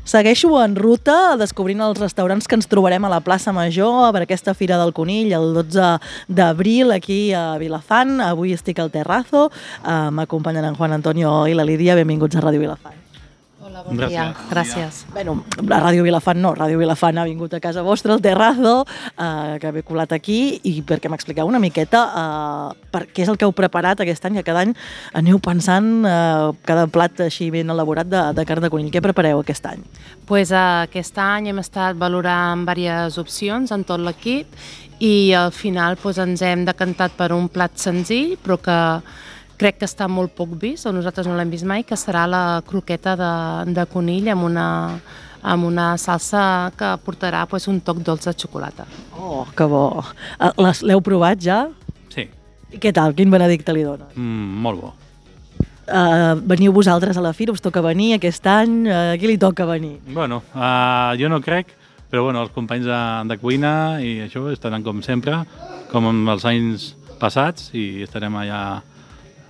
Segueixo en ruta descobrint els restaurants que ens trobarem a la plaça Major per aquesta Fira del Conill el 12 d'abril aquí a Vilafant. Avui estic al Terrazo, m'acompanyen en Juan Antonio i la Lídia. Benvinguts a Ràdio Vilafant. Hola, bon dia. Gràcies. Bueno, la Ràdio Vilafant no, Ràdio Vilafant ha vingut a casa vostra, al Terrazo, que m'he colat aquí, i perquè m'expliqueu una miqueta què és el que heu preparat aquest any, que cada any aneu pensant cada plat així ben elaborat de carn de conill. Què prepareu aquest any? Pues, aquest any hem estat valorant diverses opcions en tot l'equip i al final ens hem decantat per un plat senzill, però que crec que està molt poc vist, o nosaltres no l'hem vist mai, que serà la croqueta de conill amb una salsa que portarà un toc dolç de xocolata. Oh, que bo! L'heu provat ja? Sí. I què tal? Quin benedicte li dones? Molt bo. Veniu vosaltres a la fira? Us toca venir aquest any? A qui li toca venir? Bueno, jo no crec, però bueno, els companys de cuina i això estaran com sempre, com en els anys passats, i estarem allà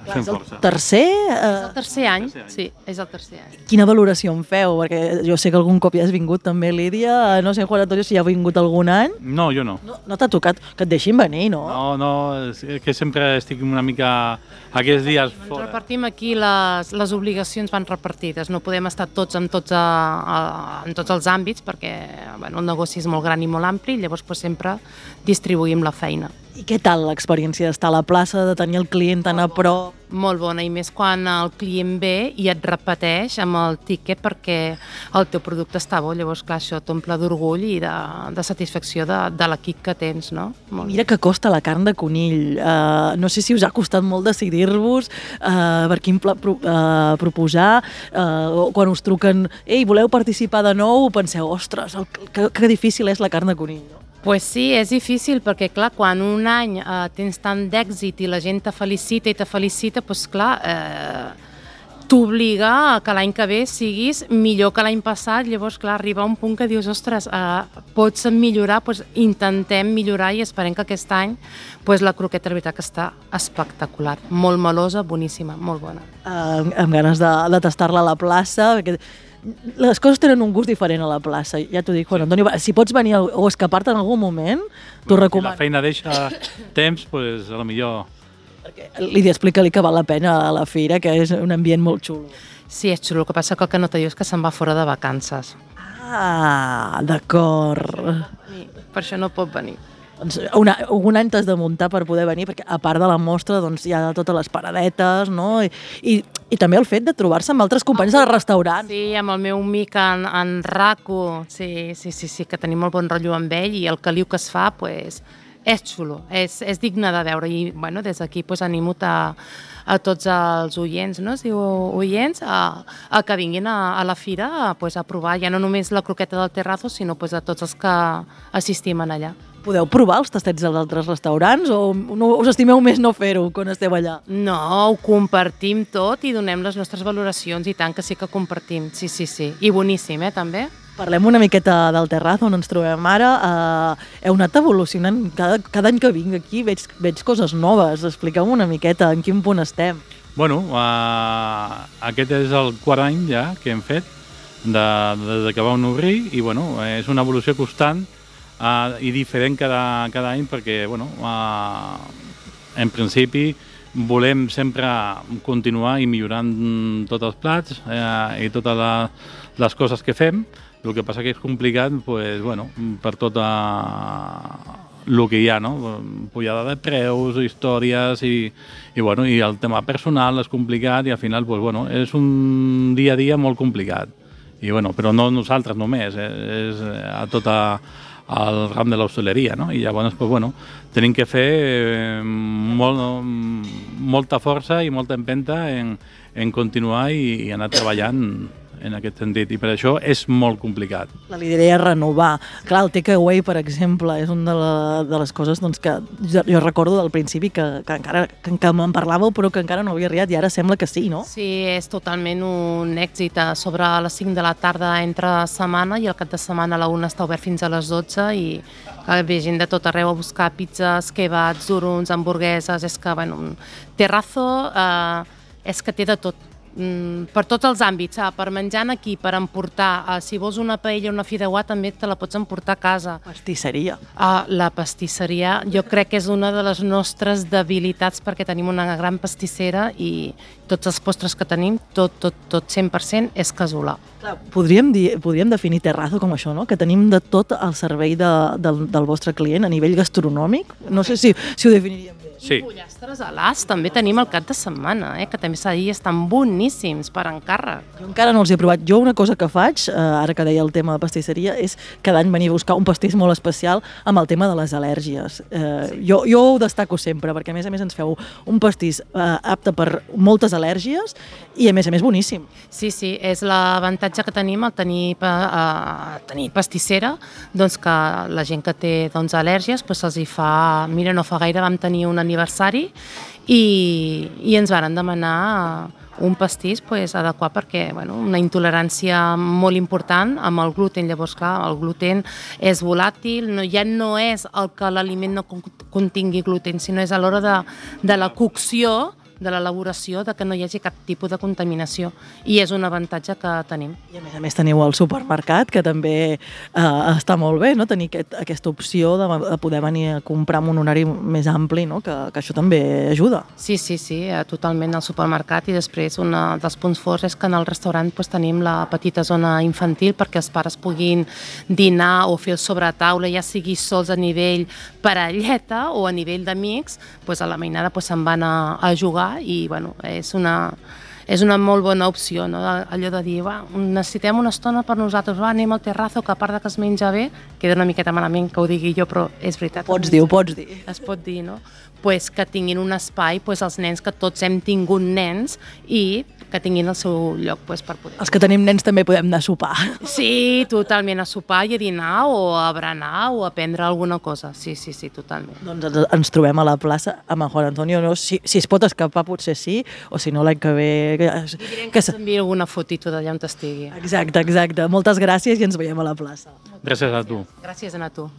fent força. Tercer? És el tercer any, sí, és el tercer any. Quina valoració en feu? Perquè jo sé que algun cop ja has vingut també, Lídia. No sé, Juan Antonio, si ja ha vingut algun any. No, jo no. No t'ha tocat que et deixin venir, no? No, és que sempre estic una mica aquests dies Ens fora. repartim aquí, les obligacions van repartides, no podem estar tots en tots els àmbits perquè el negoci és molt gran i molt ampli, llavors sempre distribuïm la feina. I què tal l'experiència d'estar a la plaça, de tenir el client tan a prop? Molt bona, i més quan el client ve i et repeteix amb el tiquet perquè el teu producte està bo, llavors clar, això t'omple d'orgull i de satisfacció de l'equip que tens, no? Mira que costa la carn de conill. No sé si us ha costat molt decidir-vos per quin plat proposar, o quan us truquen, ei, voleu participar de nou, penseu, ostres, que difícil és la carn de conill, no? Pues sí, és difícil perquè, clar, quan un any tens tant d'èxit i la gent te felicita, doncs clar, t'obliga a que l'any que ve siguis millor que l'any passat, llavors, clar, arriba un punt que dius, ostres, pots millorar, doncs intentem millorar i esperem que aquest any la croqueta, la veritat, que està espectacular, molt melosa, boníssima, molt bona. Amb ganes de tastar-la a la plaça, perquè les coses tenen un gust diferent a la plaça, ja t'ho dic, Juan Antonio. Si pots venir o escapar-te en algun moment, t'ho recomano. Si la feina deixa temps, doncs a lo millor... Lídia, explica-li que val la pena a la fira, que és un ambient molt xulo. Sí, és xulo, el que passa que el que no te diu és que se'n va fora de vacances. Ah, d'acord. Per això no pot venir. Doncs un any t'has de muntar per poder venir, perquè a part de la mostra hi ha totes les paradetes, no? I també el fet de trobar-se amb altres companys del restaurant. Sí, amb el meu amic en Raco, sí, que tenim molt bon rotllo amb ell, i el caliu que es fa, és xulo, és digne de veure, i des d'aquí animo a tots els oients, no? Si oients, a que vinguin a la fira a provar ja no només la croqueta del Terrazo, sinó a tots els que assistim allà. Podeu provar els tastets dels altres restaurants o us estimeu més no fer-ho quan esteu allà? No, ho compartim tot i donem les nostres valoracions, i tant que sí que compartim, sí. I boníssim, també. Parlem una miqueta del Terrazo, on ens trobem ara. Heu anat evolucionant. Cada any que vinc aquí veig coses noves. Expliqueu una miqueta en quin punt estem. Bueno, aquest és el quart any ja que hem fet des que vam obrir, i bueno, és una evolució constant i diferent cada any, perquè en principi volem sempre continuar i millorant tots els plats i totes les coses que fem. El que passa que és complicat per tot el que hi ha, no? Pujada de preus, històries i el tema personal és complicat, i al final és un dia a dia molt complicat. Però no nosaltres només, és a tot el ram de l'hostaleria, no? I llavors tenim que fer molta força i molta empenta en continuar i anar treballant en aquest sentit, i per això és molt complicat. La idea és renovar. Clar, el takeaway, per exemple, és una de les coses que jo recordo del principi que me'n parlàveu, però que encara no havia arribat, i ara sembla que sí, no? Sí, és totalment un èxit. Sobre les 5 de la tarda entre setmana, i el cap de setmana a la 1 està obert fins a les 12, i ve gent de tot arreu a buscar pizzas, kebabs, duruns, hamburgueses. És que, Terrazo és que té de tot. per tots els àmbits, per menjar aquí, per emportar, si vols una paella o una fideuà també te la pots emportar a casa. Pastisseria. La pastisseria jo crec que és una de les nostres debilitats perquè tenim una gran pastissera i tots els postres que tenim, tot 100% és casolà. Clar, podríem definir Terrazzo com això, no? Que tenim de tot al servei del vostre client a nivell gastronòmic. No sé si ho definiríem bé. Sí. I pollastres a l'as també tenim el cap de setmana, que també s'ha dit, estan boníssims per encàrrec. Jo encara no els he provat. Jo una cosa que faig, ara que deia el tema de pastisseria, és cada any venir a buscar un pastís molt especial amb el tema de les al·lèrgies. Jo ho destaco sempre, perquè a més ens feu un pastís apte per moltes al·lèrgies i a més boníssim. Sí, és l'avantatge que tenim al tenir pastissera, doncs que la gent que té al·lèrgies se'ls hi fa... Mira, no fa gaire vam tenir un aniversari i ens varen demanar un pastís adequat perquè una intolerància molt important amb el gluten. Llavors, clar, el gluten és volàtil, ja no és el que l'aliment no contingui gluten, sinó és a l'hora de la cocció, de l'elaboració, que no hi hagi cap tipus de contaminació, i és un avantatge que tenim. I a més teniu el supermercat, que també està molt bé, no? Tenir aquesta opció de poder venir a comprar amb un horari més ampli, no? Que això també ajuda. Sí, totalment al supermercat, i després un dels punts forts és que en el restaurant tenim la petita zona infantil perquè els pares puguin dinar o fer el sobretaula, ja sigui sols a nivell parelleta o a nivell d'amics, a la mainada se'n van a jugar i és una molt bona opció, no? Allò de dir, necessitem una estona per nosaltres, anem al Terrazzo, que a part que es menja bé, queda una miqueta malament que ho digui jo, però és veritat. Ho pots dir. Es pot dir, no? Que tinguin un espai, els nens, que tots hem tingut nens, i que tinguin el seu lloc per poder... Els que tenim nens també podem anar a sopar. Sí, totalment, a sopar i a dinar o a berenar o a prendre alguna cosa. Sí, totalment. Doncs ens trobem a la plaça amb en Juan Antonio. No? Si es pot escapar potser sí, o si no l'any que ve... Direm que s'envia alguna fotito d'allà on estigui. Exacte. Moltes gràcies i ens veiem a la plaça. Gràcies a tu. Gràcies a tu.